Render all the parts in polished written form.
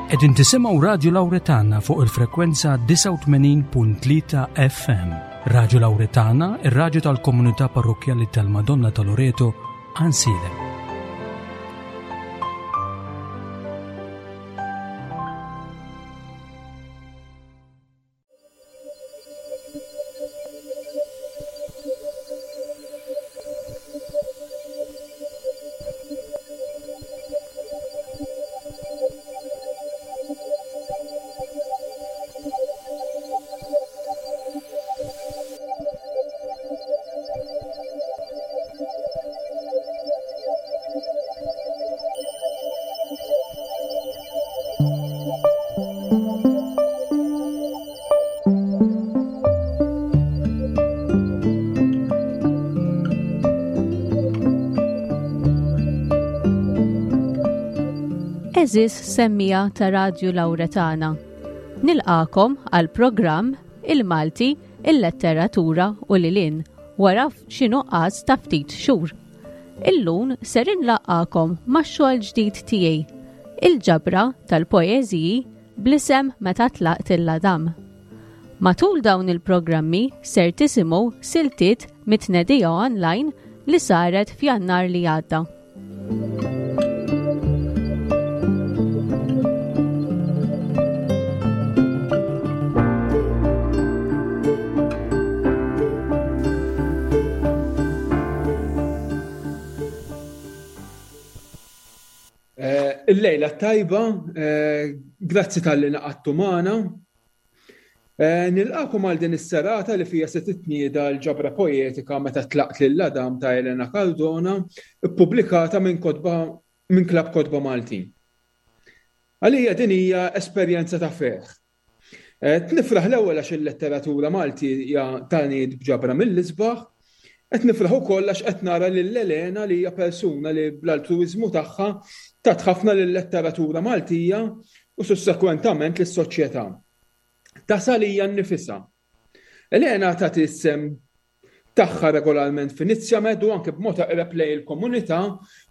Qegħdin tisimgħu Radju Lawretana fuq il-frekwenza 89.3 FM. Radju Lawretana, ir-radju tal-komunità parrokkjali tal-Madonna ta' Loreto, Għansielem. Eżis semmija ta' Radju Lawretana. Nilqakom għal programm Il-Malti, il-Letteratura u Lilin wara xi nuqqas ta' ftit xhur. Illum ser inlaqqagħkom max-xogħol ġdid tiegħi, il-ġabra tal-poeżiji bl-isem Meta Tlaqt il-Għadam. Matul dawn il-programmi ser tisimgħu siltiet mit-tnedija online li saret f'Jannar li għadda. Eh, il-lejla tajba, eh, grazzi tal-li naqattu magħna. Eh, nilqakom għal din is-serata li fija se titnieda l-ġabra poetika meta tlaqt lil Adam ta' Elena Cardona, ippubblikata minn kotba minn Klabb Kotba Maltin. Għalija din hija esperjenza ta' ferħ. Eh, nifraħ l-ewwel għax il-letteratura Malti hija taniet b'ġabra mill-isbaħ, qed nifraħ ukoll għax qed nara lil Elena li hija persuna li bl-altruiżmu tagħha tat ħafna lil-letteratura Maltija u sussekwentament lis-soċjetà. Tasal hija nnifisha. Elena tagħti s-sehem tagħha regolarment f'Inizjamed u anke b'mod eqreb lejn il-komunità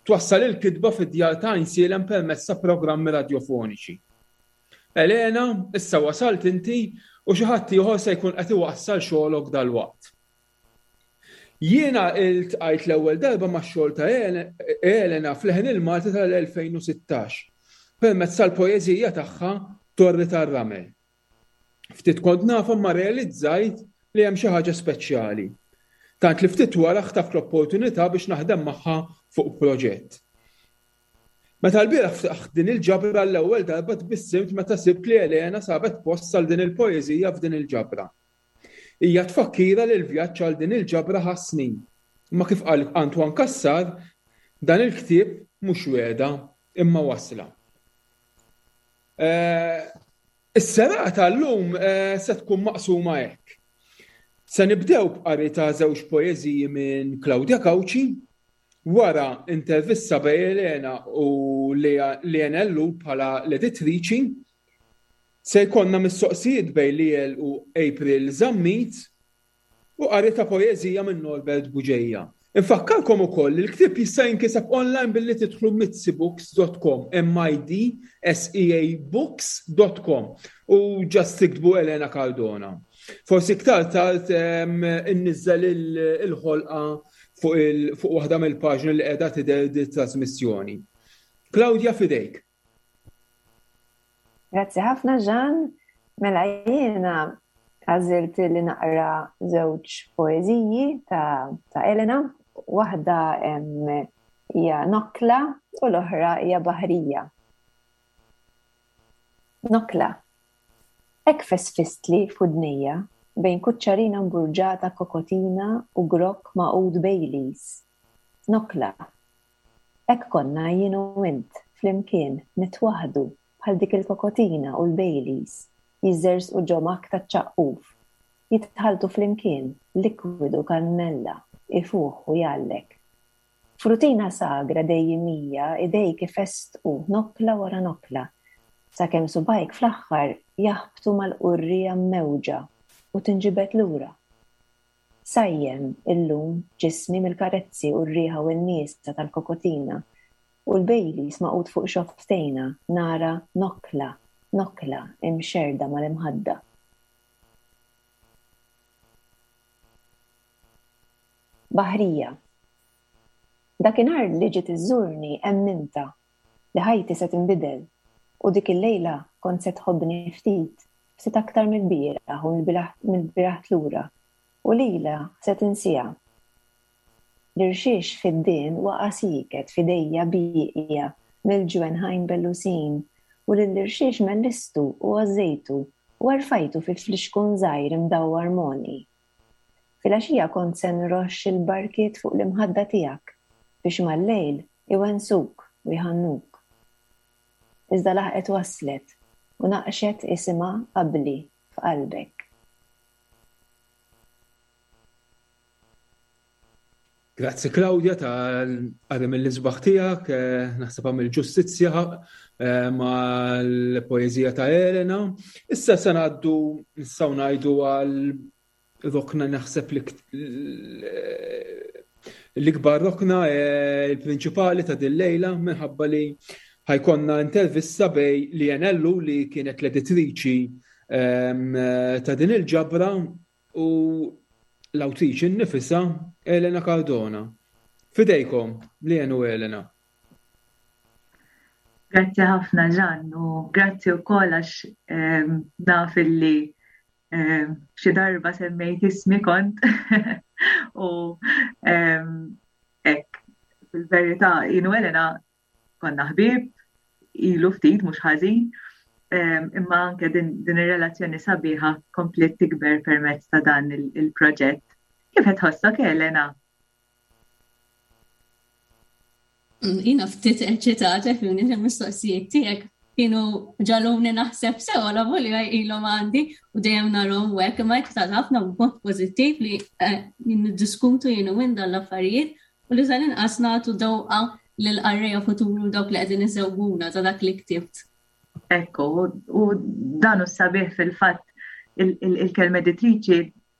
twassal il-kitba fid-djar ta' Għajnsielem permezz ta' programmi radjofoniċi. Elena, issa wasalt inti u xi ħadd ieħor se jkun qed iwassal xogħolok dalwaqt. Jiena iltqajt l-ewwel darba max-xogħol ta' Elena f'Leħen il-Malti tal-2016 permezz tal-poeżija tagħha Torri tar-Ramel. Ftit kont nafha imma rrealizzajt li hemm xi ħaġa speċjali. Tant li ftit wara ħtaft l-opportunità biex naħdem magħha fuq proġett. Meta lbieraħ ftaħt din il-ġabra għall-ewwel darba tbissimt meta sibt li Elena sabet post għal din il-poeżija f'din il-ġabra. Hija tfakkira li l-vjaġġ għal din il-ġabra ħa snin. Imma kif qal Antoine Cassar, dan il-ktieb mhux wegħda, imma wasla. Eh, is-serata llum eh, se tkun maqsuma hekk. Se nibdew b'qari ta' żewġ poeżiji minn Claudia Cauchi, wara intervista bejn Elena u Leanne Ellul bħala l-editriċi, Se jkollna mistoqsijiet bejn Liel u April Zammit u qari ta' poeżija minn Norbert Bugeja. Infakkarkom ukoll li l-ktieb jista' jinkiseb online billi tidħlu mitsibooks.com, M-I-D-S-E-A books.com, u just tiktbu Elena Cardona. Forsi iktar tard inniżżel il-ħolqa fuq waħda mill-paġni li qiegħda tidher di trasmissjoni. Claudia f'idejk. Grazzi ħafna Jean. Mela jiena għażilt li naqra żewġ poeżiji ta', ta Elena. Waħda hija Nokla u l-oħra hija Baħrija. Nokla. Hekk fesfistli f'udnejja bejn kuċċarina mburġata kokotina u grokk magħqud Baileys. Nokla. Hekk konna jien u int, flimkien, nitwaħħdu, bħal dik il-kokotina u l-Baileys, jiżżerżqu ġo makk taċ-ċaqquf, jitħalltu flimkien, likwidu kannella, ifuħ u jgħallek. F'rutina sagra dejjimija idejk ifestqu nokkla wara nokkla, sakemm subgħajk fl-aħħar jaħbtu mal-qurriegħa mmewġa u tinġibed lura. Sajjem, illum, ġismi mill-karezzi u r-riħa u n-niesa tal-kokotina u l-Baileys magħqud fuq xofftejna, nara nokkla. Nokkla imxerrda mal-imħadda. Baħrija. Dakinhar li ġiet iżżurni emmintha li ħajti se tinbidel u dik il-lejla kont se tħobbni ftit, ftit aktar mill-bieraħ u mill-bieraħ lura u lilha se tinsiha. L-irxiex fiddien waqa' sieket f'idejja bieqja mill-ġwenħajn bellusin u lill-irxiex mellistu u għożżejtu u erfajtu fi flixkun żgħir imdawwar m'għonqi. Filgħaxija kont se nroxx il-barkiet fuq l-imħadda tiegħek biex mal-lejl iwensuk u jħannuk. Iżda laħqet waslet u naqqxet isimha qabli f'qalbek. Grazzi Claudia tal-qari mill-isbaħ tiegħek, eh, naħseb għamil ġustizzja eh, mal-poeżija ta' Elena. Issa se ngħaddu nistgħu ngħidu għal rokna naħseb li l-ikbar rokna eh, il-prinċipali ta' din lejla minħabba li ħajkonna intervista bej li Ellu li kienet l-editriċi ehm, ta' din il-ġabra u l-awtriċi nnifisha Elena Cardona. Fidejkom, Lien u Elena. Grazzi ħafna Ġan u grazzi wkoll għax ehm, naf illi ehm, xi darba semmejt ismi kont u ehm, hekk fil-verità jien u Elena konna ħbieb, ilu ftit mhux ħażin, imma anke din, din ir-relazzjoni sabiħa kompliet tikber permezz ta' dan il-proġett. Kif qed tħossok Elena? Jina ftit eċitata fimni il-mistoqsijiet tiegħek kienu ġaluni naħseb sew la volja ilhom għandi u dejjem narhom hekk imma eċitata ħafna b'mod pożittiv li eh, niddiskutu jien u dan l-affarijiet u li tal-inqas nagħtu dewqa lill-qarrejja futuri u dawk li qegħdin isewwuna ta' dak li ktibt. Ekku, u dan hu sabiħ fil-fatt il-kelma editriċi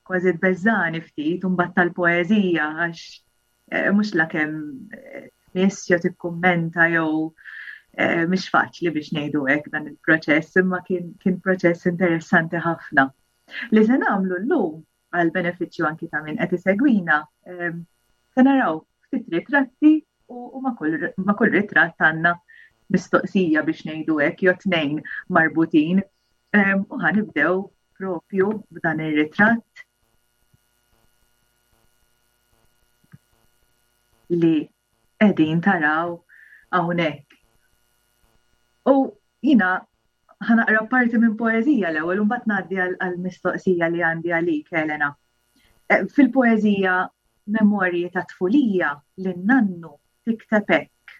kważi tbeżżani ftit u mbagħad tal-poeżija għax eh, mhux la kemm eh, nies jew tikkummenta jew eh, mhix faċli biex ngħidu hekk dan il-proċess, imma kien, kien proċess interessanti ħafna. Li se nagħmlu llum għal benefiċċju anki ta' min qed isegwina, ehm, se naraw ftit ritratti u ma' kull ritratt għandna mistoqsija biex ngħidu hekk jew tnejn marbutin. Ehm, u ħanibdew propju b'dan ir-ritratt li qegħdin taraw hawnhekk. U jina ħanaqra parti minn poeżija l-ewwel u mbagħad ngħaddi għall-mistoqsija li għandi għalik Elena. Eh, fil-poeżija Memorji ta' tfulija lin-nannu tikteb hekk.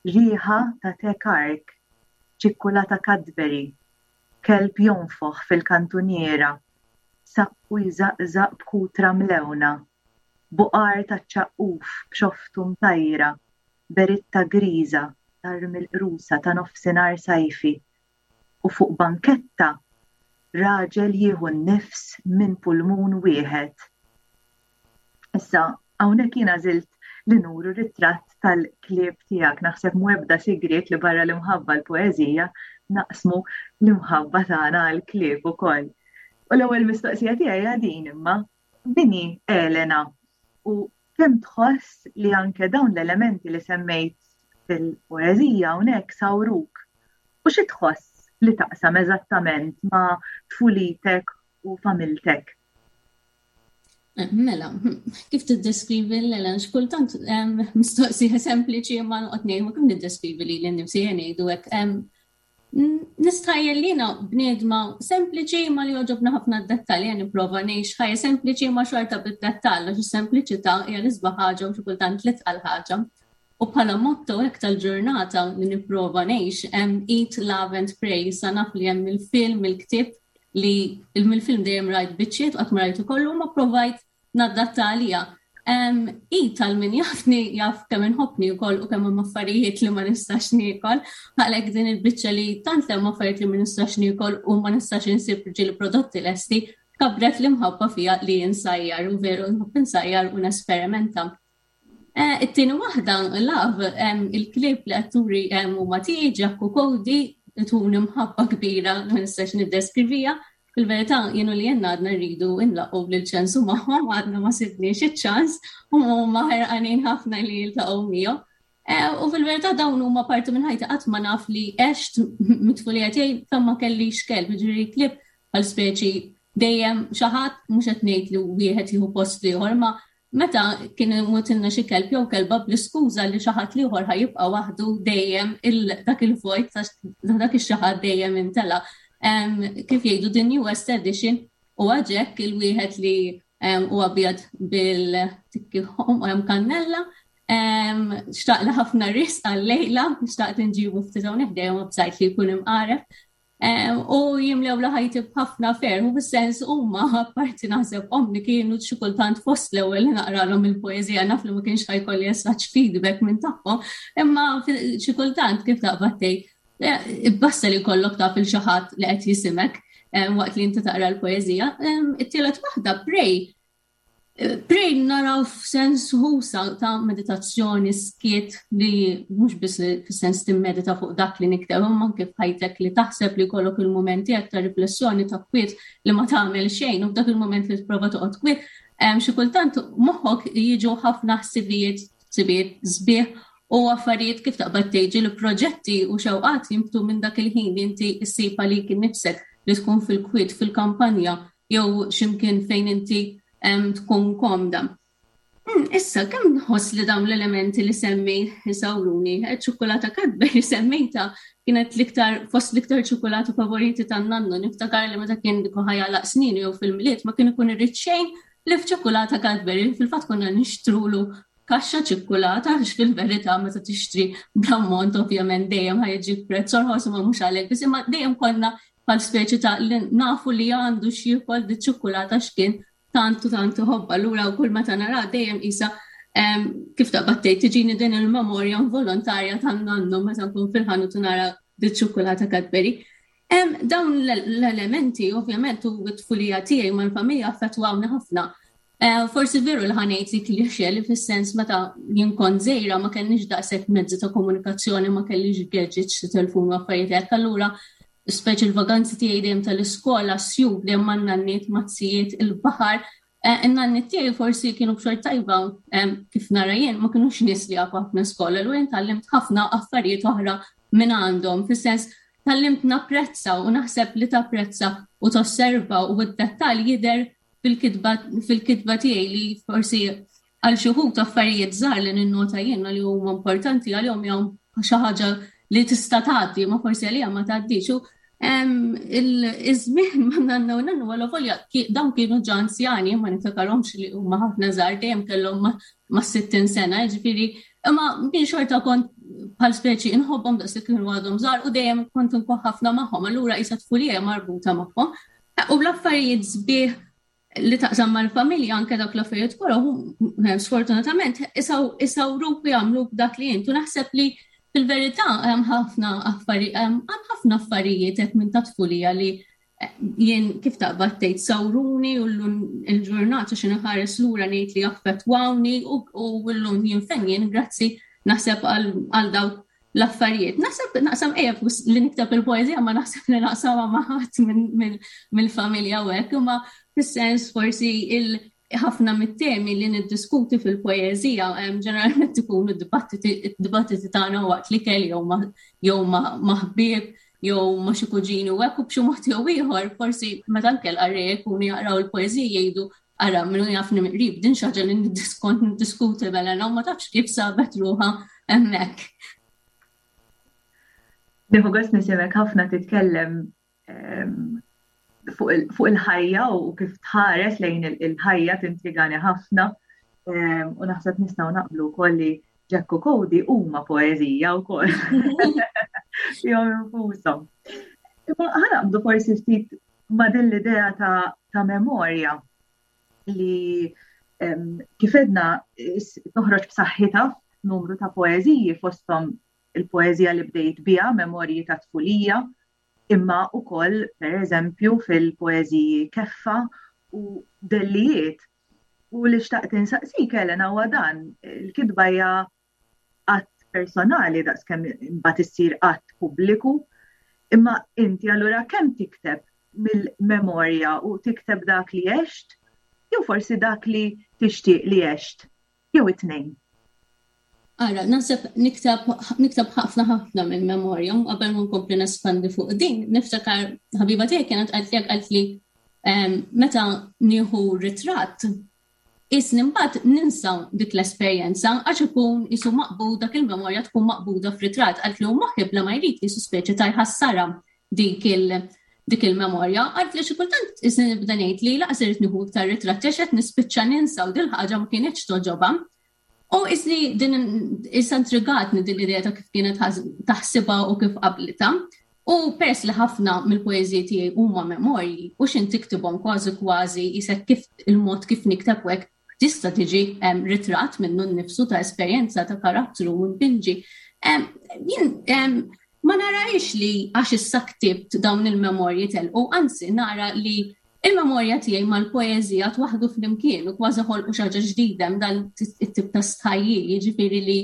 Riħa ta' te kark, ċikkulata Cadbury, kelb jonfoħ fil-kantuniera, saqqu jżaqżaq b'kutra mlewna, buqar taċ-ċaqquf b'xoftu mtajra, beritta griża tarmi l-qrusa ta' nofsinhar sajfi u fuq banketta raġel jieħu n-nifs minn pulmun wieħed. Issa, hawnhekk jien għażilt li nuru ritratt tal-klieb tiegħek. Naħseb mhu ebda sigriet li barra l-imħabba l-poeżija naqsmu l-imħabba tagħna għall-klieb ukoll. U l-ewwel mistoqsija tiegħi hija din imma, min hi Elena u kemm tħoss li anke dawn l-elementi li semmejt fil-poeżija hawnhekk sawruk u xi tħoss li taqsam eżattament ma' tfulitek u familtek? Mela, kif tiddeskrivi l-Elena? Xkultant mistoqsija sempliċi ma noqgħod ngħid kif niddeskrivi lili nnifsi ngħidu hekk. Nistħajjel li jiena bniedma sempliċi ma li jogħġobna ħafna d-dettalji jien nipprova ngħix ħajja sempliċi ma xorta bid-dettall għax is-sempliċità hija l-isbaħ ħaġa u xi kultant l-itqal ħaġa. U bħala motto hekk tal-ġurnata li nipprova ngħix hemm eat, love and pray. Sa naf li hemm il-film, il-ktieb li mill-film dejjem rajt biċċiet u qatt ma rajtu kollu ma provajt nadatta għalija. I tal min jafni jaf kemm inħobbni wkoll u kemm hemm affarijiet li ma nistax niekol, għalhekk din il-biċċa li tant hemm affarijiet li ma nistax niekol u ma nistax insib ġieli prodotti lesti, kabret l-imħabba fija li insajjar u veru nħobb insajjar u nesperimenta. Eh, it-tieni waħda, love, il-klib li għatturi huma tiegħi, Jack u Cody, ituni mħabba kbira ma nistax niddeskrivija. Fil-verità jien u li jenna għadna rridu nlaqgħu lil ċensu magħhom għadna ma sibniex iċ-ċans u huma ħerqanin ħafna li jiltaqgħu miegħu. Eh, u fil-verità dawn huma parti minn ħajti qatt ma naf li għext mit-tfulija tiegħi fejn ma kellix kelb, ġifieri klieb bħal speċi dejjem xi ħadd mhux qed ngħid li wieħed jieħu post ieħor, ma meta kien imutilna xi kelb jew kelba bl-iskuża li xi ħadd ieħor ħa jibqa' waħdu dejjem dak il-vojt dak ix-xi ħadd dejjem imtela. Kif jgħidu the newest edition huwa Jack il-wieħed li huwa abjad bil-tikki hemm kannella. Xtaqla ħafna risq għal-lejla, xtaqt inġibu ftit hawnhekk dejjem bżajt li jkun imqareb. U jimlew la ħajti b'ħafna ferħ u fis-sens huma apparti naħseb ommi kienu xi kultant fost l-ewwel li naqralhom il-poeżija naf li ma kienx ħajkolli as feedback minn tagħhom, imma xi kultant kif taqbad tgħid eh, basta li jkollok taf il xi ħadd li qed jisimek eh, waqt li inti taqra l-poeżija. It-tielet waħda pray Pray naraw f'sens ħusa ta' meditazzjoni skiet li mhux biss fis-sens timmedita fuq dak li nikteb imma anke f'ħajtek li taħseb li jkollok il-mument tiegħek ta' riflessjoni ta' kwiet li ma tagħmel xejn u f'dak il-mument li tipprova toqgħod kwiet xi kultant moħħok jiġu ħafna ħsibijiet ħsibijiet sbieħ u affarijiet kif taqbad tgħid li proġetti u xewqat jinbtu minn dak il-ħin li inti ssib għalik innifsek li tkun fil-kwiet fil-kampanja jew x'imkien fejn inti tkun komda. Hmm, issa, kemm nħoss li dawn l-elementi li semmi jisawruni, eh, ċokolata Cadbury semmejta kienet l-iktar fost l-iktar ċokolata favoriti tan-nannu, niftakar li meta kien diku ħajja snin jew fil-miliet ma kien ikun irrid xejn li f'ċokolata Cadbury, fil-fatt konna nixtrulu kaxxa ċikkulata għax fil-verità meta tixtri bl-ammont ovvjament dejjem ħajġi prezz orħos imma mhux għalhekk biss imma dejjem konna bħal speċi ta' li nafu li għandu x'jiekol di ċikkulata x'kien tant u tant iħobbha. Allura kull meta nara dejjem qisha kif taqbad tgħid tiġini din il-memorja involontarja tan-nannu meta nkun fil-ħanut u nara di ċikkulata Cadbury. Dawn l-elementi ovvjament u t-tfulija tiegħi mal-familja affettwawni ħafna. Eh, forsi veru li ħanejt li kliexje li fis-sens meta jien kont żejra ma kellniex daqshekk mezzi ta' komunikazzjoni, ma kellix gadgets, telefon u affarijiet hekk, allura speċi l-vaganzi tiegħi dejjem tal-iskola, sjub dejjem ma' nanniet, mazzijiet, il-baħar. Eh, in-nanniet tiegħi forsi kienu b'xort tajba eh, kif nara jien ma kinux nies li jafu ħafna skola, l jien tgħallimt ħafna affarijiet oħra minn għandhom, fis-sens tgħallimt napprezza u naħseb li tapprezza u tosserva u d-dettal jidher fil-kitba fil-kitba tiegħi li forsi għal xi wħud affarijiet żgħar li ninnota jien li huma importanti għalihom jew xi ħaġa li tista' tgħaddi ma forsi għalija ma tgħaddix. U iż-żmien ma nanna u nannu għal volja dawn kienu ġa anzjani ma niftakarhomx li huma ħafna żgħar dejjem kellhom ma' 60 sena, ġifieri imma kien xorta kont bħal speċi inħobbhom daqs li kienu għadhom żgħar u dejjem kont inkun ħafna magħhom, allura qisha tfulija marbuta magħhom. U l-affarijiet sbieħ li taqsam mal-familja anke dak l-affarijiet kollha eh, sfortunatament isawruk u jagħmluk dak li intu naħseb li fil-verità hemm ħafna affarijiet hemm ħafna affarijiet hekk minn ta' tfulija li eh, jien kif taqbad tgħid sawruni u llum il-ġurnata xi nħares lura ngħid li affettwawni u llum jien fejn jien grazzi naħseb għal dawk l-affarijiet. Naħseb naqsam ejja li nikteb il-poeżija ma naħseb li naqsamha ma' ħadd mill-familja u hekk, imma fis-sens forsi il ħafna mit-temi li niddiskuti fil-poeżija ġeneralment ikunu d-dibattiti tagħna waqt li kelli jew ma' ħbieb jew ma' xi kuġini u hekk u b'xi mod jew ieħor forsi meta anke l-qarrej ikunu jaqraw il-poeżija jgħidu Ara, minnu jafni miqrib, din xaġa li kont niddiskuti mela u ma tafx kif sabet ruħha hemmhekk. Nieħu gost nisimek ħafna titkellem ehm, fuq il-ħajja u kif tħares lejn il-ħajja tintrigani ħafna ehm, u naħseb nistgħu naqblu wkoll li Jack u Cody huma poeżija wkoll. Fihom infushom. Imma ħanaqbdu forsi ftit ma' din l-idea ta', ta memorja li kif edna toħroġ b'saħħitha numru ta' poeżiji fosthom il-poeżija li bdejt biha, Memorji ta' Tfulija, imma wkoll pereżempju fil-poeżiji Keffa u Dellijiet. U li xtaqt insaqsik Elena huwa dan, il-kitba hija att personali daqskemm imbagħad issir att pubbliku. Imma inti allura kemm tikteb mill-memorja u tikteb dak li għext jew forsi dak li tixtieq li għext jew it-tnejn? Ara, naħseb nikteb nikteb ħafna ħafna mill-memorja u qabel ma nkompli nespandi fuq din, niftakar ħabiba tiegħi kienet qalt li qalt li ehm, meta nieħu ritratt Qisni mbagħad ninsa dik l-esperjenza għax ikun qisu maqbud dak il-memorja tkun maqbuda f'ritratt qaltli u moħħi bla ma jrid qisu speċi ta' jħassarha dik il dik il-memorja. Qaltli xi kultant qisni nibda ngħid li laqas irrid nieħu iktar ritratti għax qed nispiċċa ninsa u dil-ħaġa ma kinitx togħġobha. U isni din issa intrigatni din l-idea ta' kif kienet taħsibha u kif qablitha. U peress li ħafna mill-poeżiji tiegħi huma memorji u x'in tiktibhom kważi kważi isek kif il-mod kif nikteb hekk tista' tiġi ritratt minnu nnifsu ta' esperjenza ta' karattru u npinġi. Jien ma narahiex li għax issa ktibt dawn il-memorji telqu, anzi nara li Il-memorja tiegħi mal-poeżija twaħħdu flimkien u kważi ħolqu xi ħaġa ġdida hemm dan it-tip ta' stħajjil, jiġifieri li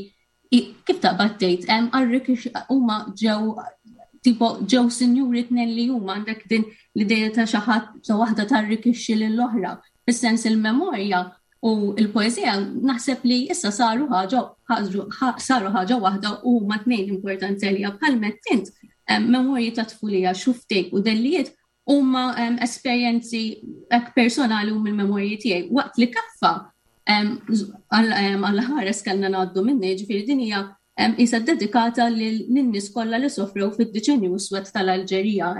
kif taqbad tgħid hemm arrikix huma ġew tipo ġew sinjuri tnejn li huma għandek din l-idea ta' xi ħadd ta' waħda tarrikixxi lill-oħra. Fis-sens il-memorja u l-poeżija naħseb li issa saru ħaġa saru ħaġa waħda u huma tnejn importanti għalija bħal int memorji ta' tfulija xuftejk u dellijiet huma esperjenzi hekk personali u mill-memorji tiegħi. Waqt li kaffa għal ħares kellna ngħaddu minni, ġifieri din hija isa dedikata lin-nies kollha li sofrew fid-diċenju iswed tal-Alġerija.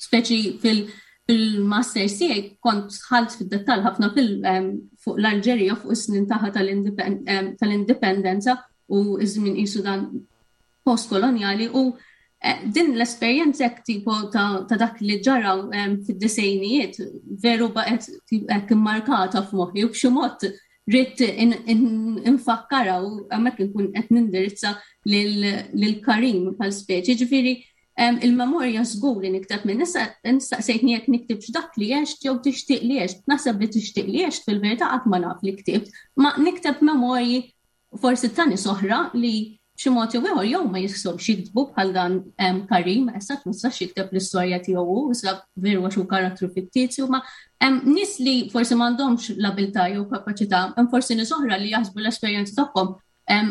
Speċi fil-masters tiegħi kont ħalt fid-dettall ħafna fuq l-Alġerija fuq is-snin tagħha tal-indipendenza u iż-żmien qisu dan postkolonjali u eh, din l-esperjenza hekk tipo ta' dak li ġara eh, fid-disejnijiet veru baqgħet hekk immarkata f'moħħi u b'xi mod rrid infakkara u hemmhekk inkun qed nindirizza lil Karim bħal speċi. Ġifieri il-memorja żgur li nikteb minn issa nistaqsejtni jekk niktibx dak li għext jew tixtieq li għext. Naħseb li tixtieq li għext fil-verità qatt ma naf li ktibt, ma nikteb memorji forsi ta' nies oħra li b'xi mod jew ieħor jew ma jistgħux jiktbu bħal dan Karim, issa ma jistax jikteb l-istorja tiegħu hu, issa veru għax hu karattru fittizju, ma nies li forsi m'għandhomx l-abilità jew kapaċità, hemm forsi nies oħra li jaħsbu l-esperjenza tagħhom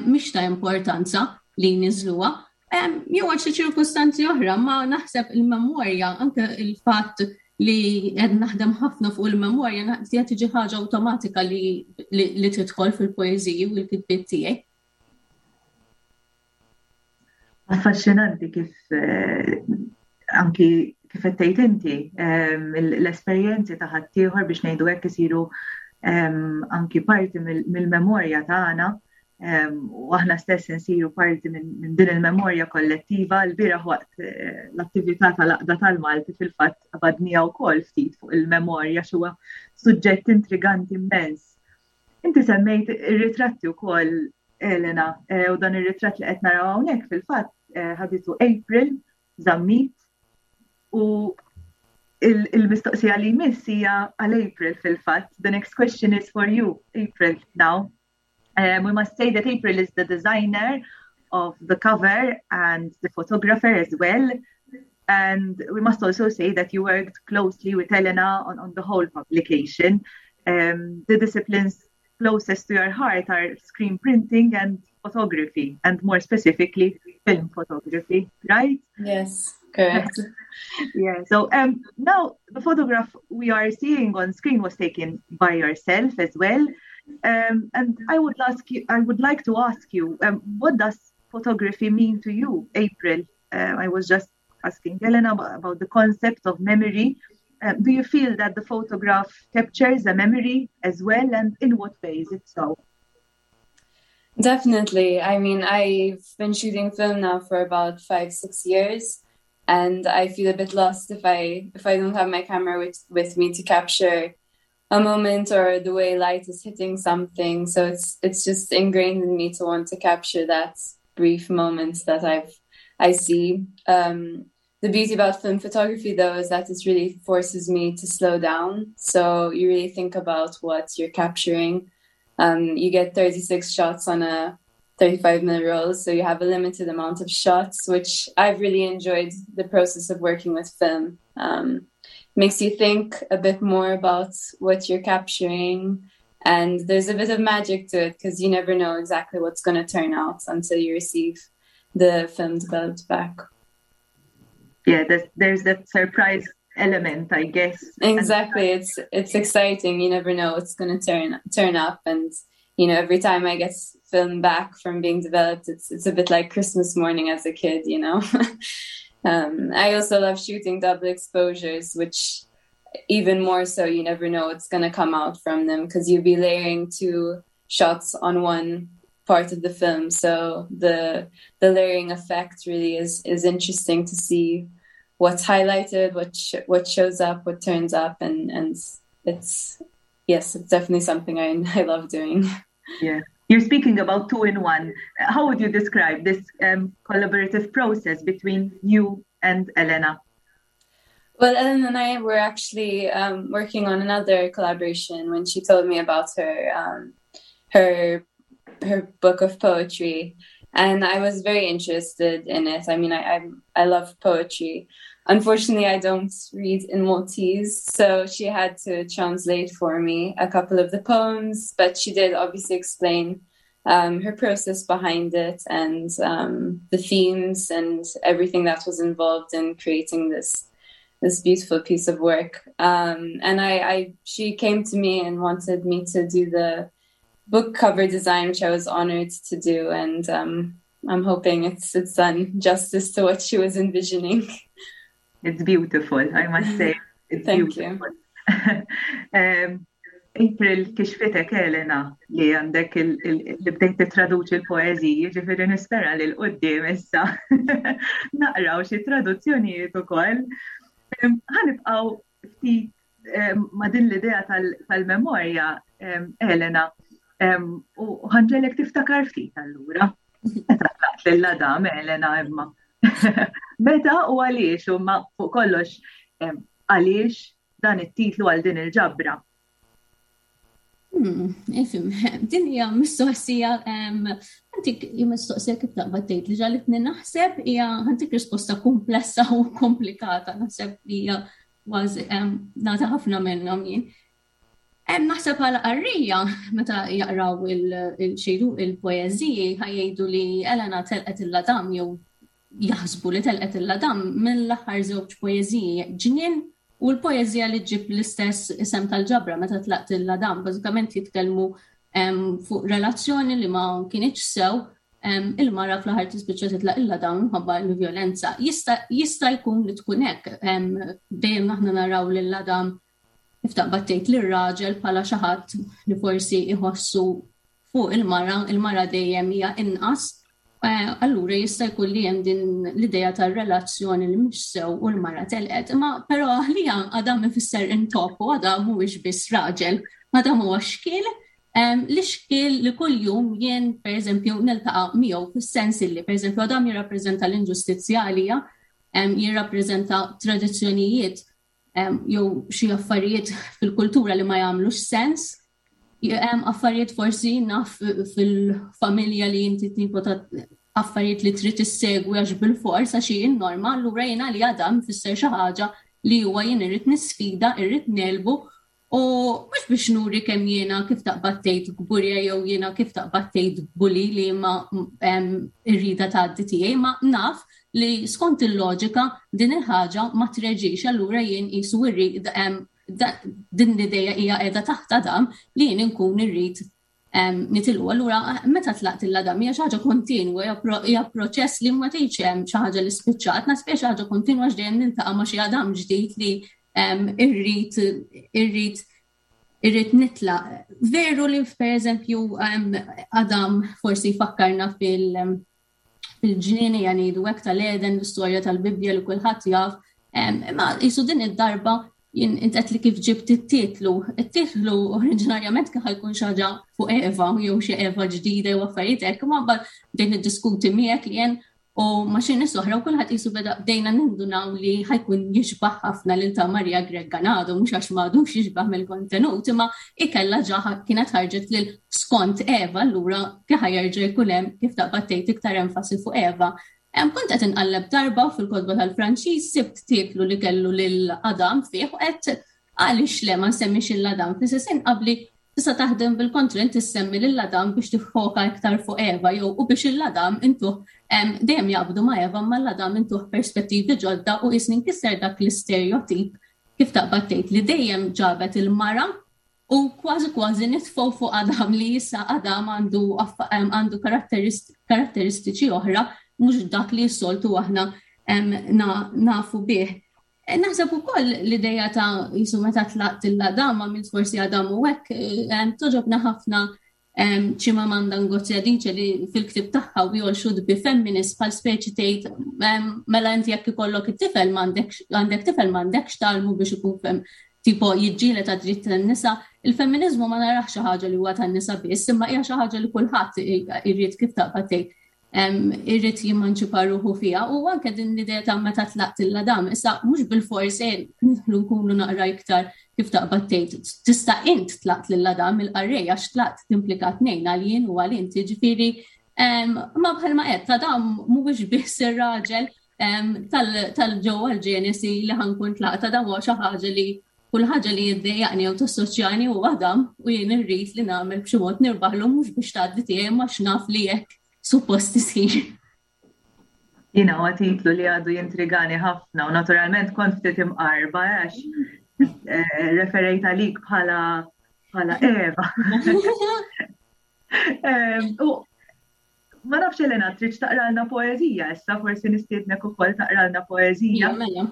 mhix ta' importanza li jniżżluha. Jew għal xi ċirkustanzi oħra, ma naħseb il-memorja, anke il-fatt li qed naħdem ħafna fuq il-memorja, naħseb tiġi ħaġa awtomatika li, li, tidħol fil-poeżiji u l-kitbiet tiegħi. Affaxxinanti kif eh, anki kif qed tgħid inti ehm, l-esperjenzi ta' ħaddieħor biex ngħidu hekk isiru ehm, anki parti mill-memorja tagħna u aħna stess insiru parti minn din il-memorja kollettiva l-bieraħ waqt eh, l-attività tal-aqda tal-Malti fil-fatt qabadnija wkoll ftit fuq il-memorja xuwa suġġett intriganti immens. Inti semmejt ir-ritratti wkoll Elena eh, u dan ir-ritratt li qed naraw hawnhekk fil-fatt eh, ħaditu April Zammit u il-mistoqsija li jmiss hija għal April fil-fatt. The next question is for you, April, now. Um, we must say that April is the designer of the cover and the photographer as well. And we must also say that you worked closely with Elena on, on the whole publication. Um, the disciplines closest to your heart are screen printing and photography, and more specifically, film photography, right? Yes, correct. yeah, so um, now the photograph we are seeing on screen was taken by yourself as well. Um, and I would ask you, I would like to ask you, um, what does photography mean to you, April? Uh, I was just asking Elena about the concept of memory. Uh, do you feel that the photograph captures a memory as well, and in what ways, if so? Definitely. I mean, I've been shooting film now for about five, six years, and I feel a bit lost if I if I don't have my camera with, with me to capture a moment or the way light is hitting something. So it's it's just ingrained in me to want to capture that brief moments that I've I see. Um, the beauty about film photography though is that it really forces me to slow down. So you really think about what you're capturing. Um, you get 36 shots on a 35 minute rolls, so you have a limited amount of shots, which I've really enjoyed the process of working with film. Um, makes you think a bit more about what you're capturing and there's a bit of magic to it because you never know exactly what's going to turn out until you receive the film developed back. Yeah, there's, there's that surprise element, I guess. Exactly. It's it's exciting. You never know what's going to turn turn up and you know, every time I get film back from being developed, it's it's a bit like Christmas morning as a kid, you know. um, I also love shooting double exposures, which even more so you never know what's going to come out from them because you'll be layering two shots on one part of the film so the the layering effect really is is interesting to see what's highlighted what sh what shows up what turns up and and it's yes it's definitely something I, I love doing yeah you're speaking about two in one how would you describe this um, collaborative process between you and Elena Well, Ellen and I were actually um, working on another collaboration when she told me about her um, her her book of poetry, and I was very interested in it. I mean, I I, I love poetry. Unfortunately, I don't read in Maltese, so she had to translate for me a couple of the poems, but she did obviously explain um, her process behind it and um, the themes and everything that was involved in creating this this beautiful piece of work. Um, and I, I she came to me and wanted me to do the book cover design, which I was honored to do. And um, I'm hoping it's it's done justice to what she was envisioning. It's beautiful, I must say. It's Thank beautiful. you. um, April kixfitek Elena li għandek li bdejt titraduċi l-poeżiji, ġifieri nispera li l-qudiem issa naqraw xi traduzzjonijiet ukoll. Ħanibqgħu ftit ma' din l-idea tal-memorja, Elena, u ħanġelek tiftakar ftit allura. Meta tlaqt lil Adam, Elena, imma. Meta u għaliex, u ma fuq kollox għaliex dan it-titlu għal din il-ġabra. Hmm, ifim, din hija mistoqsija, għantik mistoqsija kif taqbad tgħid li ġalitni naħseb hija għantik risposta komplessa u komplikata, naħseb li hija kważi nagħti ħafna minnhom jien. Naħseb bħala qarrija meta jaqraw il-xejdu il-poeżiji ħajjgħidu li Elena telqet il-ladam jew jaħsbu li telqet il-ladam mill-aħħar żewġ poeżiji ġnien u l-poeżija li ġib l-istess isem tal-ġabra meta tlaqt il-ladam bażikament jitkellmu fuq relazzjoni li ma kienx sew il-mara fl-aħħar tispiċċa titlaq il-ladam minħabba l-vjolenza. Jista' jkun li tkun hekk dejjem aħna naraw lil ladam kif taqbad tgħid lir-raġel bħala xi ħadd li forsi jħossu fuq il-mara, il-mara dejjem hija inqas, eh, allura jista' jkun li hemm din l-idea tar-relazzjoni li mhix sew u l-mara telqet. Imma però għalija Adam ifisser intop u Adam mhuwiex biss raġel, Adam huwa xkiel li xkiel li kuljum jien pereżempju niltaqa' miegħu fis-sens li pereżempju Adam jirrappreżenta l-inġustizzja għalija, jirrappreżenta tradizzjonijiet jew xi affarijiet fil-kultura li ma jagħmlux sens. Hemm affarijiet forsi naf fil-familja li inti tipo ta' affarijiet li trid issegwi għax bil-fors għax hi n-norma, allura jiena li għadam fisser xi ħaġa li huwa jien irrid nisfida, irrid nelbu U mhux biex nuri kemm jiena kif taqbad tgħid kburja jew jiena kif taqbad tgħid bully li ma irrida tgħaddi tiegħi, ma naf li skont il-loġika din il-ħaġa ma treġix allura jien qisu irrid din l-idea hija qiegħda taħt Adam li jien inkun irrid nitilqu. Allura meta tlaqt il-ladam hija xi ħaġa kontinwa, hija proċess li ma tgħidx hemm xi ħaġa li spiċċat, nasib hija xi ħaġa kontinwa x'dejjem niltaqa' ma' xi għadam ġdid li irrid irrid irrid nitlaq. Veru li pereżempju Adam forsi jfakkarna fil- fil-ġnien hija ngħidu hekk tal-Eden, l-istorja tal-Bibbja li kulħadd jaf. Imma jisu din id-darba jien intet li kif ġibt it-titlu. It-titlu oriġinarjament kien ħajkun xi ħaġa fuq Eva jew xi Eva ġdida jew affarijiet hekk, imma mbagħad bdejt niddiskuti miegħek li jien u ma' xi nies oħra u kulħadd qisu beda bdejna nindunaw li ħajkun jixbaħ ħafna lil ta' Maria Grech Ganado mhux għax m'għadux jixbaħ mill-kontenut imma ikella ġa kienet ħarġet lil skont Eva allura kif ħajerġa' jkun hemm kif taqbad tgħid iktar enfasi fuq Eva. Hemm kont qed inqalleb darba fil-kotba tal-Franċiż sibt titlu li kellu lil Adam fih u qed għaliex le ma nsemmix il Adam fl-istess qabli Tista' taħdem bil-kontra inti ssemmi lil Adam biex tiffoka iktar fuq Eva jew u biex il Adam intuh dejjem jaqbdu ma' Eva imma l-Adam intuh perspettivi ġodda u qisni nkisser dak l-istereotip kif taqbad tgħid li dejjem ġabet il-mara u kważi kważi nitfgħu fuq Adam li issa Adam għandu għandu karatteristiċi oħra mhux dak li s-soltu aħna nafu bih. Eh, naħseb ukoll l-ideja ta' jisu meta tlaqt il-Adam għamilt forsi Adam u hekk eh, toġobna ħafna Chimamanda Ngozi Adichie li fil-ktib tagħha We All Should Be Feminists bħal speċi tgħid mela inti jekk ikollok it-tifel m'għandekx għandek tifel m'għandekx talmu biex ikun fem tipo jiġġieled għad-dritt tan-nisa. Il-femminizmu ma narax xi ħaġa li huwa tan-nisa biss, imma hija xi ħaġa li kulħadd irid kif taqbad tgħid irrid jimmanċipa ruħu fiha u anke din l-idea ta' meta tlaqt il-ladam, issa mhux bil-fors eh, nidħlu nkunu naqra iktar kif taqbad tgħid. Tista' int tlaqt lil ladam il-qarrej għax tlaqt timplika tnejn għal jien u għal inti, ġifieri ma bħalma qed ta' dam mhuwiex biss ir-raġel tal-ġewwa l-ġenesi li ħankun tlaqt ta' dam huwa xi ħaġa li kull ħaġa li jiddejjaqni jew tassoċjani u Adam u jien irrid li nagħmel b'xi mod nirbaħlu mhux biex tgħaddi tiegħi ma x'naf li hekk suppost isir. Jiena huwa titlu li għadu jintrigani ħafna u naturalment kont ftit imqarba għax eh, referejt għalik bħala bħala Eva. U ma nafx Elena, trid taqralna poeżija issa, forsi nistiednek ukoll taqralna poeżija. Mela.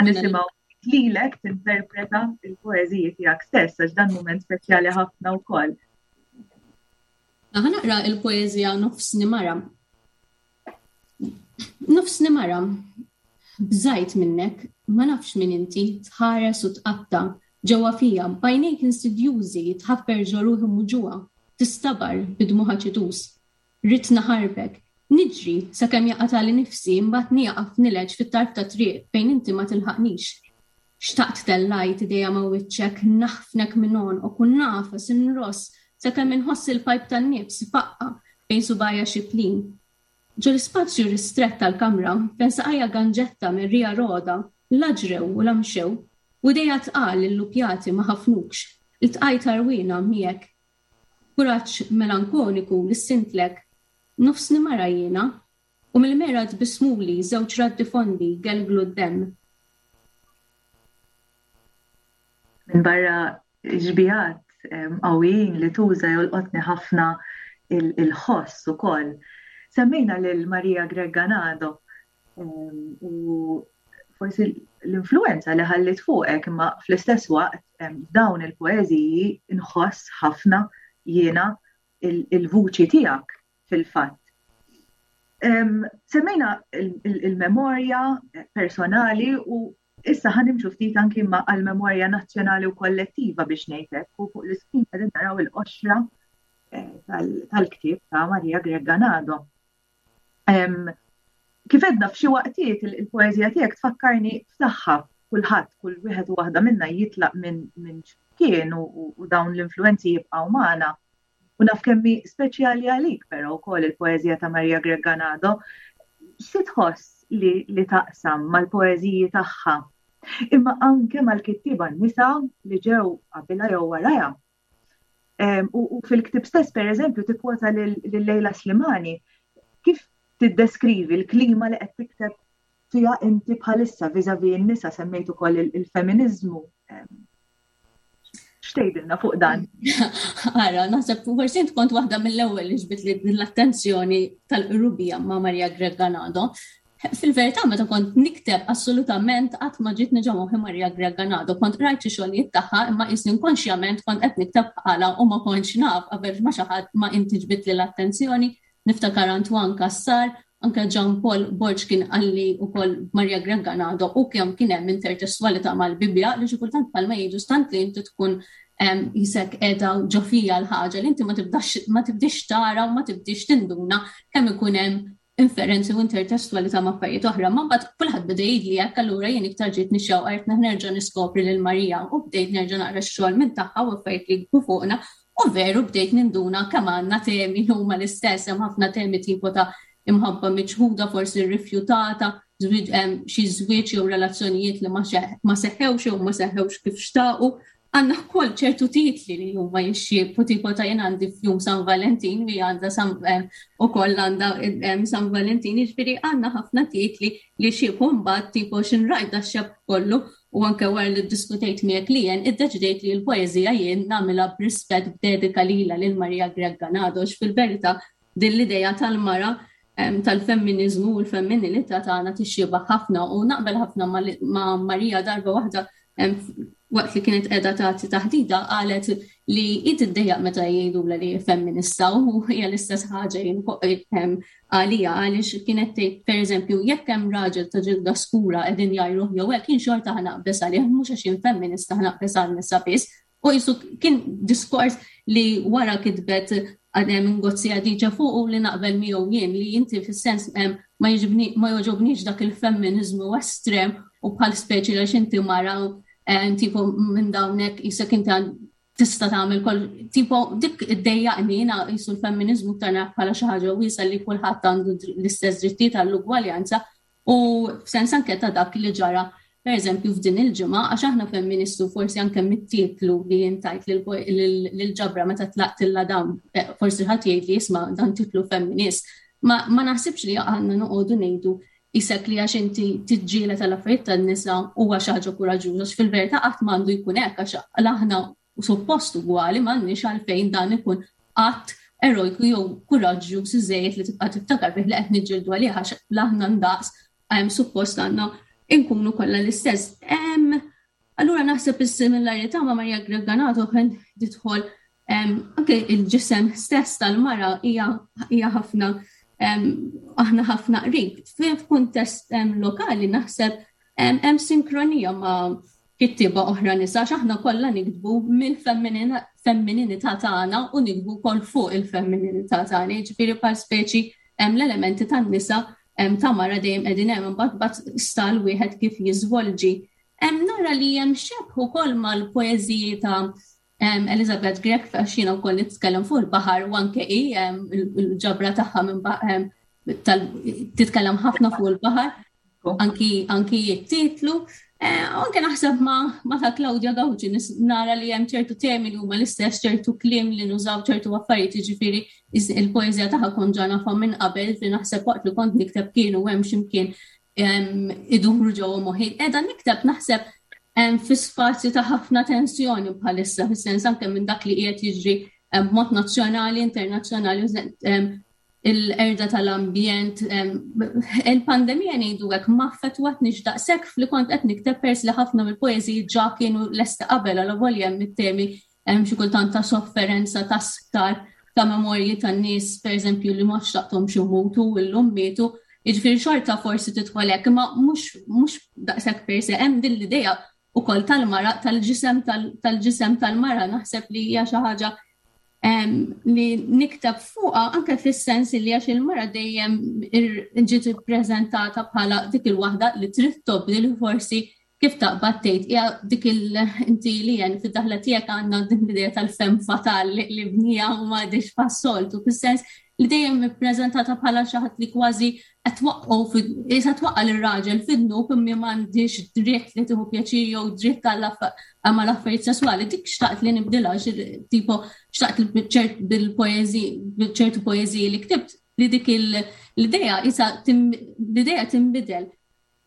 Nisimgħu lilek tinterpreta il-poeżiji tiegħek stess għax dan mument speċjali ħafna wkoll. Ħa naqra il-poeżija Nofsni Mara. Nofsni mara, bżajt minnek, ma nafx min inti, tħares u tqatta' ġewwa fija, b'għajnejk insidjużi tħaffer ġo ruħi muġugħa, tistabar bi dmugħ aċituż. Ridt naħarbek. Niġri, sakemm jaqatagħli nifsi, imbagħad nieqaf nileġ fit-tarf tat-triq fejn inti ma tilħaqnix. Xtaqt tellajt idejja ma' wiċċek, naħfnek minn għonqok u nagħfas, inross, sakemm inħoss il-pajp tan-nifs ifaqqa' bejn subgħajja xiplin. Ġol-ispazju ristrett tal-kamra, fejn saqajja ganġetta merrija rogħda, la ġrew u la mxew, u idejja tqal illupjati ma ħafnukx, iltqajt għarwiena miegħek. B'kuraġġ melankoniku lissintlek, Nofsni mara jiena, u mill-mera tbissmuli żewġ raddi fondi jgelglu d-demm. Minbarra xbihat qawwijin li tuża jolqotni ħafna il-ħoss ukoll. Semmejna lil Maria Grech Ganado u forsi l-influenza li ħallit fuqek imma fl-istess waqt dawn il-poeżiji nħoss ħafna jiena il-vuċi tiegħek fil-fatt. Semmejna il-memorja personali u issa ħa nimxu ftit anki ma għal-memorja nazzjonali u kollettiva biex ngħidlek u fuq l-iskrin qegħdin naraw il-qoxra eh, tal-ktieb ta' Maria Grech Ganado. Kif edna f'xi waqtiet il-poeżija tiegħek tfakkarni f'saħħa kulħadd, kull wieħed u waħda minna jitlaq minn kien u dawn l-influenzi jibqgħu magħna. U naf kemm hi speċjali għalik però wkoll il-poeżija ta' Maria Grech Ganado. Xi tħoss li, li taqsam mal-poeżiji tagħha? Imma anke mal-kittieba nisa li ġew qabilha jew warajha. U, u fil-ktib stess, per eżempju, tikkwota lil Lejla Slimani. Kif tiddeskrivi l-klima li qed tikteb fiha inti bħalissa vis-a-vis n-nisa semmejt ukoll il-feminiżmu X'tgħidilna fuq dan? Ara, naħseb forsi int kont waħda mill-ewwel li ġbit li l-attenzjoni tal-qrubija ma' Maria Grech Ganado. Fil-verità meta kont nikteb assolutament qatt ma ġiet niġa moħħi Maria Grech Ganado. Kont rajt xi xogħlijiet tagħha imma qisni inkonxjament kont qed nikteb bħala u ma kontx naf qabel ma xi ħadd ma inti ġbit li l-attenzjoni. Niftakar Antoine Cassar, anke Jean Paul Borg kien qalli wkoll Maria Grech Ganado u kemm kien hemm intertestwalità mal-Bibbja li xi kultant bħalma jgħidu stant li inti tkun jisek qiegħda ġo fija l-ħaġa li inti ma tibdax ma tibdix tara u ma tibdix tinduna kemm ikun hemm. inferenzi u intertestwalità ma' affarijiet oħra, ma mbagħad kulħadd beda jgħidli hekk allura jien iktar ġiet nixxewqa qed nerġa' niskopri lil Marija u bdejt nerġa' naqra x-xogħol minn tagħha u affarijiet li jkunu fuqna u veru bdejt ninduna kemm għandna temi li huma l-istess, hemm ħafna temi tipo ta' imħabba miċħuda, forsi rrifjutata, xi żwieġ jew relazzjonijiet li ma seħħewx jew ma seħħewx kif xtaqu. Għandna wkoll ċertu titli li huma jixxiebħu tipo ta' jien għandi f'jum San Valentin li għandha ukoll għandha San Valentin, jiġifieri għandna ħafna titli li xiebu mbagħad tipo x'inrajt da xebh kollu u anke wara li ddiskutejt miegħek li jien iddeċidejt li l-poeżija jien nagħmilha b'rispett b'dedika lilha lil Maria Grech Ganado fil-verità din l-idea tal-mara tal-femminiżmu u l-femminilità tagħna tixxiebah ħafna u naqbel ħafna ma' Marija darba waħda waqt li kienet qiegħda tagħti taħdita qalet li hi tiddejjaq meta jgħidulha li femminista u hija l-istess ħaġa jien għalija għaliex kienet tgħid pereżempju jekk hemm raġel ta' ġilda skura qegħdin jgħajruh jew hekk jien xorta ħanaqbeż għalih mhux għax jien femminista ħanaqbeż għan-nisa biss. U qisu kien diskors li wara kitbet għadem Ngozi Adichie fuq u li naqbel miegħu jien li inti fis-sens ma jiġbni ma jogħġobniex dak il-femminizmu estrem u bħal speċi għax inti mara tipo minn dawnek jisek inti tista' tagħmel kol tipo dik iddejjaqni jiena qisu l-femminizmu iktar nara bħala xi ħaġa wiesgħa li kulħadd għandu l-istess drittijiet għall-ugwaljanza U f'sens anke ta' dak li ġara pereżempju f'din il-ġimgħa għax aħna femministu forsi anke mit-titlu li jintajt lill-ġabra meta tlaqtilla dawn eh, forsi ħadd jgħid li jisma' dan titlu femminist. Ma, ma naħsibx li għandna noqogħdu ngħidu isek li għax inti tiġġiela tal-affarijiet tan-nisa huwa xi ħaġa kuraġġuża fil-verità qatt m'għandu jkun hekk għax aħna suppost ugwali m'għandniex għalfejn dan ikun att erojku jew kuraġġjuż iżejjed li tibqa' tiftakar fih li qed niġġieldu għalih għax aħna ndaqs suppost għandna nkunu kollha l-istess. Allura naħseb is-similarità ma' Maria Greganato kien tidħol anke il-ġisem stess tal-mara hija ħafna aħna ħafna qrib. F'kuntest lokali naħseb hemm sinkronija ma' kittieba oħra nisa għax aħna kollha niktbu mill-femmininità tagħna u niktbu wkoll fuq il-femmininità tagħna, jiġifieri bħal speċi hemm l-elementi tan-nisa ta' mara dejjem qegħdin hemm imbagħad bad stal wieħed kif jiżvolġi. Hemm nara li hemm xebh ukoll mal-poeżiji ta' Elizabeth Grech għax jiena wkoll nitkellem fuq il-baħar u anke hi il-ġabra tagħha minn titkellem ħafna fuq il-baħar anki anki it-titlu. Eh, anke naħseb ma, ma ta' Claudia Gauci nara li hemm ċertu temi li huma l-istess, ċertu kliem li nużaw ċertu affarijiet, jiġifieri il-poeżija tagħha kont ġa nafha minn qabel li naħseb waqt li kont nikteb kienu hemm x'imkien iduru ġewwa moħħi. Qiegħda nikteb naħseb fi spazju ta' ħafna tensjoni bħalissa, fis-sens anke minn dak li qiegħed jiġri b'mod nazzjonali, internazzjonali, il-qerda tal-ambjent, il-pandemija ngħidu hekk ma affettwatniex daqshekk fli kont qed nikteb pers li ħafna mill-poeżiji ġa kienu lesti qabel għal volja hemm it-temi hemm xi kultant ta' sofferenza, ta' sptar, ta' memorji tan-nies pereżempju li ma xtaqthomx imutu u llum mietu. Jiġifieri xorta forsi tidħol hekk, imma mhux mhux daqshekk per se hemm din l-idea ukoll tal-mara tal-ġisem tal-ġisem tal-mara naħseb li hija xi ħaġa li nikteb fuqha anke fis-sens li għax il-mara dejjem ġiet ippreżentata bħala dik il-waħda li trid tobdi li forsi kif taqbad tgħid hija dik il inti li jen fid-daħla tiegħek għandna din l-idea tal-fem fatal li bnija u ma għadix fas-soltu fis-sens li dejjem ippreżentata bħala xi ħadd li kważi qed twaqqgħu qisha twaqqa' lir-raġel fid-dnub imma m'għandhiex dritt li tieħu pjaċir jew dritt mal-affarijiet sesswali. Dik xtaqt li nibdilha tipo xtaqt bil-poeżi bil-ċertu poeżiji li ktibt li dik l-idea isa l-idea tinbidel.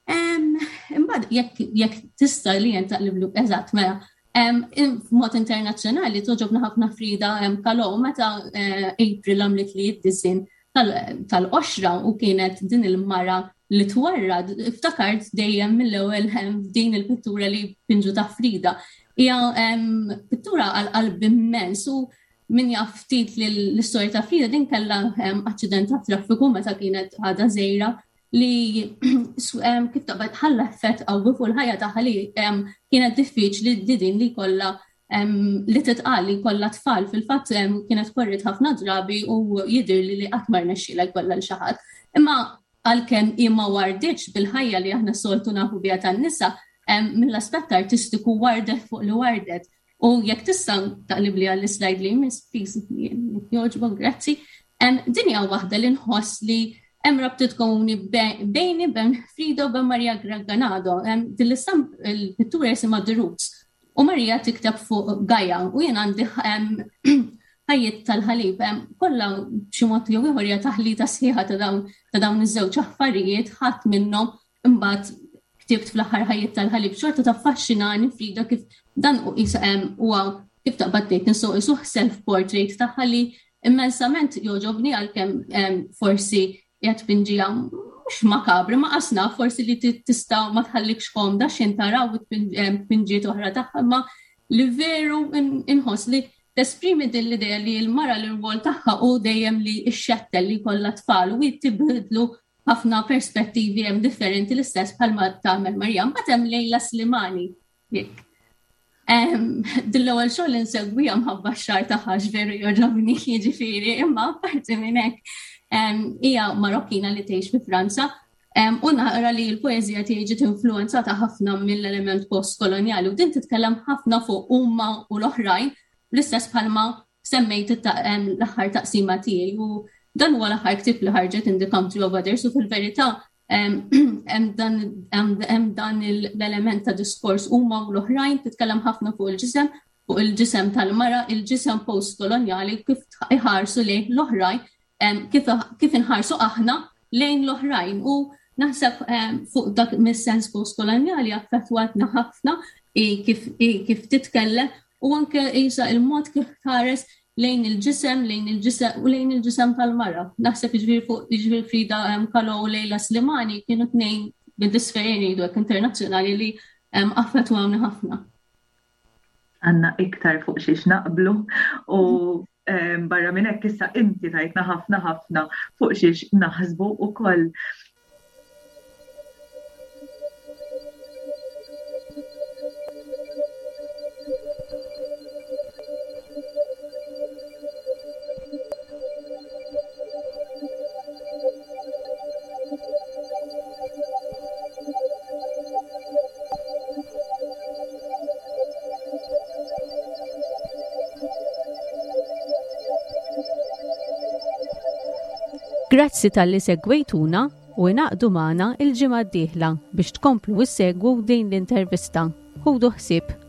Imbagħad jekk tista' li jien taqliblu eżatt mela. F'mod internazzjonali toġobna ħafna Frida Kahlo meta eh, April għamlet li id-disin tal-qoxra u kienet din il-mara li twarrad, iftakart dejjem mill-ewwel din il-pittura li pinġu ta' Frida. Hija pittura għal qalb immens u min jaf ftit li l-istorja ta' Frida din kellha aċċident ta' traffiku meta kienet għadha żgħira li kif taqbad ħalla effett qawwi fuq il-ħajja tagħha li kienet diffiċli li din li kollha li titqal li kollha tfal fil-fatt kienet korrit ħafna drabi u jidher li li qatt ma rnexxielha jkollha l xi ħadd. Imma għalkemm hi ma warditx bil-ħajja li aħna soltu nafu biha tan-nisa, mill-aspett artistiku wardet fuq li wardet. U jekk tista' taqlibli għall-slide li jmiss, please, jogħġbok, grazzi. Din hija waħda li nħoss li hemm rabtiet komuni bejni bejn Frida u bejn Maria Ganado. Din l-istamp il-pittura jisimha The Roots. U Maria tikteb fuq Gaia u jien għandi ħajjiet tal-ħalib kollha b'xi mod jew ieħor hija taħlita sħiħa ta' dawn ta' dawn iż-żewġ affarijiet ħadd minnhom imbagħad ktibt fl-aħħar ħajjiet tal-ħalib xorta taffaxxinani Frida kif dan huwa kif taqbad tgħid nisuq isuh self-portrait tagħha li immensament jogħġobni għalkemm forsi qiegħed tpinġiha mhux makabri ma qasna forsi li tista' ma tħallikx komda x'in taraw tpinġiet oħra tagħha imma li veru inħoss li tesprimi din l-idea li l-mara l-rwol tagħha u dejjem li x-xettel li kollha tfal u tibdlu ħafna perspettivi hemm differenti l-istess bħalma tagħmel Marija. Mbagħad hemm Lejla Slimani. Jekk. Din l-ewwel xogħol insegwija mħabba x-xagħar tagħha veru jogħġobni jiġifieri, imma apparti minn hekk hija Marokkina li tgħix fi Franza u naqra li l-poeżija tiegħi ġiet influenzata ħafna mill-element postkolonjali u din titkellem ħafna fuq huma u l-oħrajn l-istess bħalma semmejt l-aħħar taqsima tiegħi u dan huwa l-aħħar ktieb li ħarġet in the country of others u fil-verità hemm dan l-element ta' diskors huma u l-oħrajn titkellem ħafna fuq il-ġisem, fuq il-ġisem tal-mara, il-ġisem post-kolonjali kif iħarsu lejn l-oħrajn, kif inħarsu aħna lejn l-oħrajn u naħseb fuq dak mis-sens post-kolonjali affettwatna ħafna kif kif titkellem u anke isa il-mod kif tħares lejn il-ġisem, lejn il-ġisem u lejn il-ġisem tal-mara. Naħseb jiġifieri fuq jiġifieri Frida Kahlo u Lejla Slimani kienu tnejn bid-disferi ngħidu hekk internazzjonali li affettwawni ħafna. Għandna iktar fuq xiex naqblu u barra minn hekk issa inti tajtna ħafna ħafna fuq xiex naħsbu ukoll. Grazzi talli segwejtuna u ingħaqdu magħna il-ġimgħa d-dieħla biex tkomplu issegwu din l-intervista. Ħudu ħsieb.